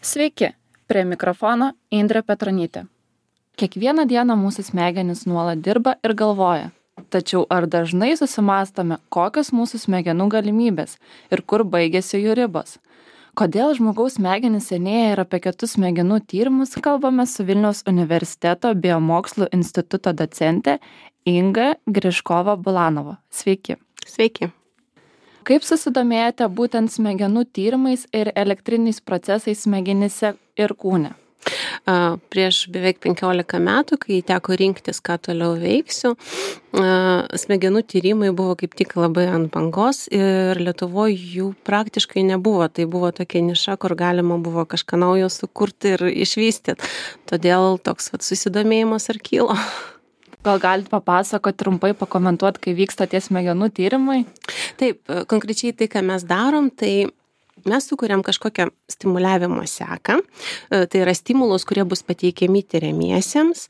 Sveiki, prie mikrofono Indrė Petronytė. Kiekvieną dieną mūsų smegenys nuolat dirba ir galvoja. Tačiau ar dažnai susimąstome, kokios mūsų smegenų galimybės ir kur baigėsi jų ribos? Kodėl žmogaus smegenys senėja ir apie kitus smegenų tyrimus kalbame su Vilniaus universiteto biomokslų instituto docente Inga Griškova-Bulanova. Sveiki. Sveiki. Kaip susidomėjote būtent smegenų tyrimais ir elektriniais procesais smegenyse ir kūne? Prieš beveik 15 metų, kai teko rinktis, ką toliau veiksiu, smegenų tyrimai buvo kaip tik labai ant bangos ir Lietuvoje jų praktiškai nebuvo. Tai buvo tokia niša, kur galima buvo kažką naujo sukurti ir išvystyti. Todėl toks susidomėjimas ir kilo. Gal galite papasakoti, trumpai pakomentuoti, kai vyksta tie smegenų tyrimai? Taip, konkrečiai tai, ką mes darom, tai mes sukuriam kažkokią stimuliavimo seką, tai yra stimulus, kurie bus pateikiami tyriamiesiems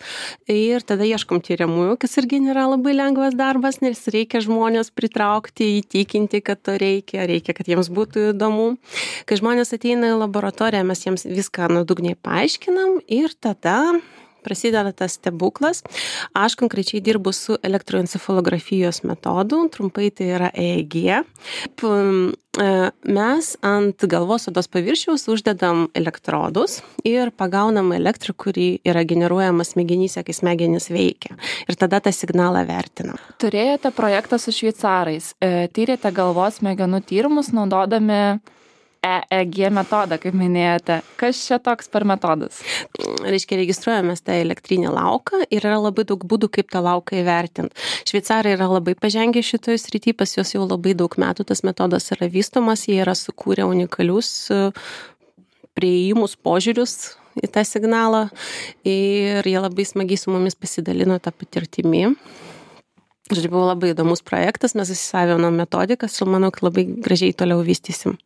ir tada ieškom tyriamųjų, kas irgi nėra labai lengvas darbas, nes reikia žmonės pritraukti, įtikinti, kad to reikia, kad jiems būtų įdomu. Kai žmonės ateina į laboratoriją, mes jiems viską nuodugniai paaiškinam ir tada prasideda tas stebuklas. Aš konkrečiai dirbu su elektroencefalografijos metodu, trumpai tai yra EEG. Mes ant galvos odos paviršiaus uždedam elektrodus ir pagaunam elektrą, kuri yra generuojama smegenyse, kai smegenys veikia. Ir tada tą signalą vertinam. Turėjote projektą su šveicarais. Tyrėte galvos smegenų tyrimus naudodami EEG metodą, kaip minėjote. Kas čia toks per metodas? Reiškia, registruojamės tą elektrinį lauką ir yra labai daug būdų, kaip tą lauką įvertinti. Šveicarai yra labai pažengę šitoje srityje, pas juos jau labai daug metų tas metodas yra vystomas, jie yra sukūrę unikalius priėjimus, požiūrius į tą signalą ir jie labai smagiai su mumis pasidalino tą patirtimį. Žodžiu, buvo labai įdomus projektas, mes įsisavinom metodikas ir manau, kad labai gražiai toliau vystysim.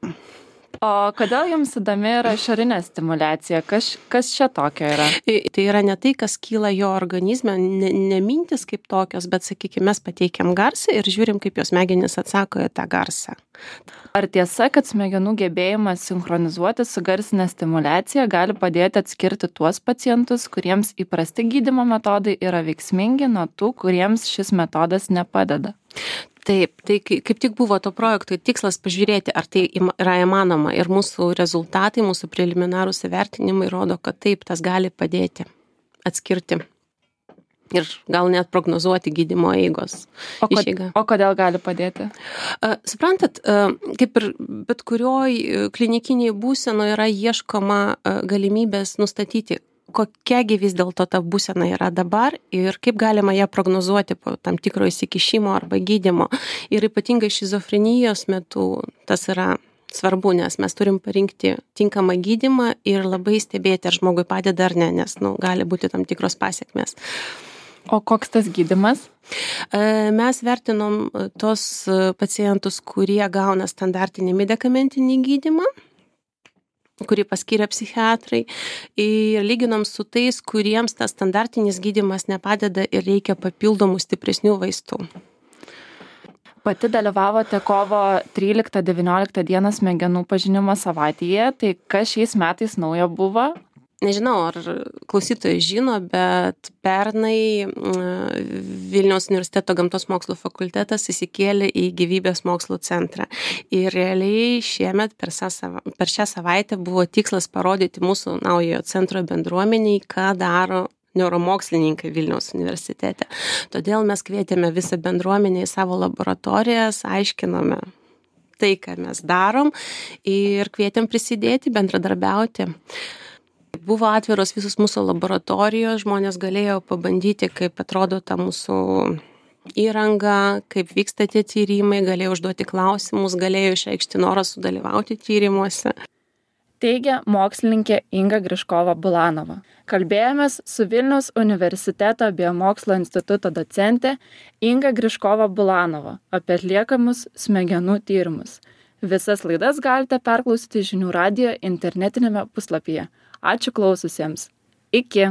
O kodėl jums įdomi yra išorinė stimuliacija? Kas čia tokio yra? Tai yra ne tai, kas kyla jo organizme, ne mintis kaip tokios, bet, sakykime, mes pateikiam garsą ir žiūrim, kaip jos smegenys atsako į tą garsą. Ar tiesa, kad smegenų gebėjimas sinchronizuoti su garsinė stimuliacija gali padėti atskirti tuos pacientus, kuriems įprasti gydymo metodai yra veiksmingi, nuo tų, kuriems šis metodas nepadeda? Taip, tai kaip tik buvo to projekto tikslas pažiūrėti, ar tai yra įmanoma ir mūsų rezultatai, mūsų preliminarūs įvertinimai rodo, kad taip, tas gali padėti atskirti ir gal net prognozuoti gydymo eigos išeigą. O kodėl gali padėti? Suprantat, kaip ir bet kurioj klinikiniai būsenoje yra ieškoma galimybės nustatyti, kokiagi vis dėlto ta būsena yra dabar ir kaip galima ją prognozuoti po tam tikro įsikišimo arba gydymo. Ir ypatingai šizofrenijos metu tas yra svarbu, nes mes turim parinkti tinkamą gydymą ir labai stebėti, ar žmogui padeda ar ne, nes gali būti tam tikros pasekmės. O koks tas gydymas? Mes vertinom tos pacientus, kurie gauna standartinį medikamentinį gydymą, kurį paskyrė psichiatrai, ir lyginom su tais, kuriems tas standartinis gydymas nepadeda ir reikia papildomų stipresnių vaistų. Pati dalyvavote kovo 13-19 dieną smegenų pažinimo savaitėje, tai kas šiais metais naujo buvo? Nežinau, ar klausytojai žino, bet pernai Vilniaus universiteto gamtos mokslų fakultetas įsikėlė į gyvybės mokslų centrą. Ir realiai šiemet per šią savaitę buvo tikslas parodyti mūsų naujojo centro bendruomeniai, ką daro neuromokslininkai Vilniaus universitete. Todėl mes kvietėme visą bendruomenę į savo laboratorijas, aiškinome tai, ką mes darom ir kvietėm prisidėti, bendradarbiauti. Buvo atviros visos mūsų laboratorijos, žmonės galėjo pabandyti, kaip atrodo ta mūsų įranga, kaip vyksta tie tyrimai, galėjo užduoti klausimus, galėjo išreikšti norą sudalyvauti tyrimuose. Teigia mokslininkė Inga Griškova-Bulanova. Kalbėjomės su Vilniaus universiteto biomokslo instituto docente Inga Griškova-Bulanova apie atliekamus smegenų tyrimus. Visas laidas galite perklausyti Žinių radijo internetinėme puslapyje. Ačiū klaususiems. Iki.